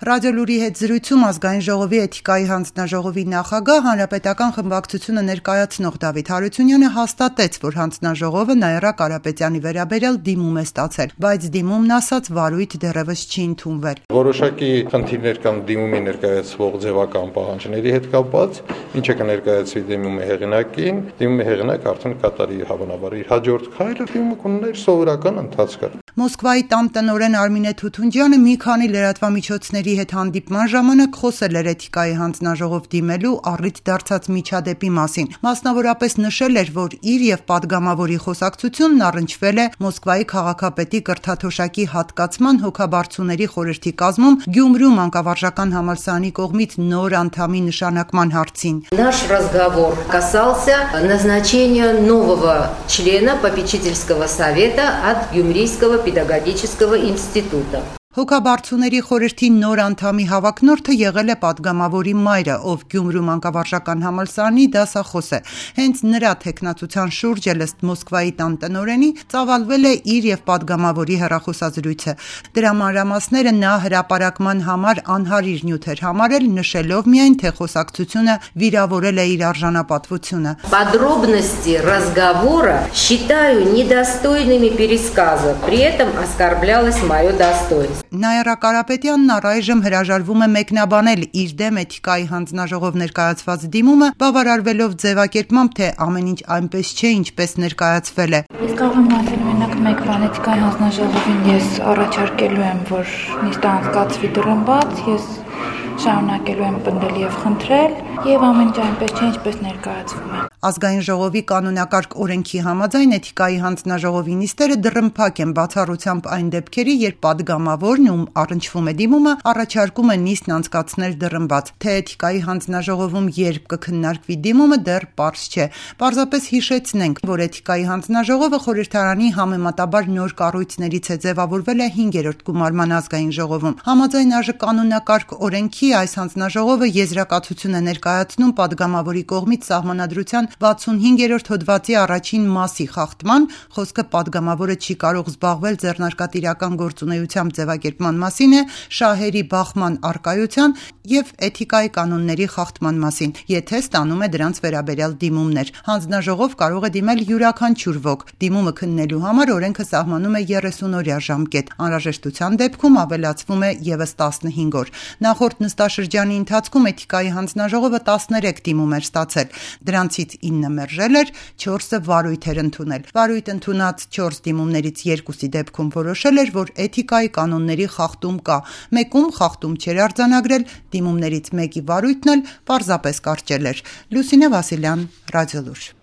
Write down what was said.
Ռադիոլուրի հետ զրույցում Ազգային ժողովի էթիկայի հանձնաժողովի նախագահ, հանրապետական խմբակցությունը ներկայացնող Դավիթ Հարությունյանը հաստատեց, որ հանձնաժողովը Նաիրա Կարապետյանի վերաբերյալ դիմում է ստացել, բայց դիմումն ասաց վարույթ դեռևս չի ընդունվել։ Որոշակի խնդիրներ կան դիմումի ներկայացվող ձևական պահանջների հետ կապված, ինչը կներկայացվի դիմումի հեղինակին, դիմումի հեղինակ արդեն կատարի հավանաբար իր հաջորդ քայլը, դիմումը կունենա սովորական ընթացքը։ Մոսկվայի տնօրեն Արմինե Թութունջյանը մի քանի լրատվամիջոցների հետ հանդիպման ժամանակ խոսել էր էթիկայի հանձնաժողով դիմելու առիթ դարձած միջադեպի մասին։ Մասնավորապես նշել էր, որ իր եւ падգամավորի խոսակցությունն առնչվել է Մոսկվայի քաղաքապետի կրթաթոշակի հատկացման հոգաբարձուների խորհրդի կազմում Գյումրու մանկավարժական համալսարանի կողմից նոր անդամի նշանակման հարցին։ Наш разговор касался назначения нового члена попечительского совета от Гюмрийского педагогического института. Հոգաբարձուների խորհրդի նոր անդամի հավակնորդը եղել է падգամավորի մայրը, ով Գյումրու մանկավարժական համալսարանի դասախոս է։ Հենց նրա թեկնածության շուրջ ըստ Մոսկվայի տնօրենի ծավալվել է իր եւ падգամավորի հեռախոսազրույցը։ Դրա մանրամասները նա հրապարակման համար անհարիր նյութ էր համարել, նշելով միայն, թե խոսակցությունը վիրավորել է իր արժանապատվությունը։ Подробности разговора считаю недостойными пересказа, при этом оскорблялось мое достоинство. Նաիրա Կարապետյանն առայժմ հրաժարվում է մեկնաբանել իր դեմ էթիկայի հանձնաժողով ներկայացված դիմումը, բավարարվելով ձևակերպմամբ, թե ամեն ինչ այնպես չէ, ինչպես ներկայացվել է։ Ես կարող եմ ասել մենակ մեկ բան, էթիկայի հանձնաժողովին ես առաջարկելու եմ, որ նիստը անցկացվի դռան բաց, ես շարունակելու եմ պնդել եւ խնդրել, եւ ամեն ինչ այնպես չէ, ինչպես ներկայացվում է։ Ազգային ժողովի կանոնակարգ օրենքի համաձայն էթիկայի հանձնաժողովի նիստերը դռնփակ են բացառությամբ այն դեպքերի, երբ падգամավորն, ում առնչվում է դիմումը, առաջարկում է նիստն անցկացնել դռնբաց։ Թե էթիկայի հանձնաժողովում երբ կքննարկվի դիմումը, դեռ պարզ չէ։ Պարզապես հիշեցնենք, որ էթիկայի հանձնաժողովը խորհրդարանի համեմատաբար նոր կառույցներից է ձևավորվել է 5-րդ գումարման ազգային ժողովում։ Համաձայն ԱԺ կանոնակարգ օրենքի այս հանձնաժողովը եզրակացություն է ներկայացնում падգամավորի կողմից սահմանադրության 65-րդ հոդվածի առաջին մասի խախտման, խոսքը падգամավորը չի կարող զբաղվել ձեռնարկատիրական գործունեությամբ ձևակերպման մասին է, շահերի բախման առկայության եւ էթիկայի կանոնների խախտման մասին, եթե ստանում է դրանց վերաբերյալ դիմումներ։ Հանձնաժողով կարող է դիմել յուրաքանչյուր ոք։ Դիմումը քննելու համար օրենքը սահմանում է 30-օրյա ժամկետ։ Անհրաժեշտության դեպքում ավելացվում է եւս 15 օր։ Նախորդ նստաշրջանի ընթացքում էթիկայի հանձնաժողովը 13 դիմում էր ստացել։ Դրանցից 9 մերժել էր, 4-ը վարույթ էր ընդունել։ Վարույթ ընդունած 4 դիմումներից 2-ի դեպքում որոշել էր, որ էթիկայի կանոնների խախտում կա։ Մեկում խախտում չէր արձանագրել, դիմումներից մեկի վարույթն էլ պարզապես կարճել էր։ Լուսինե Վասիլյան, Ռադիոլուր։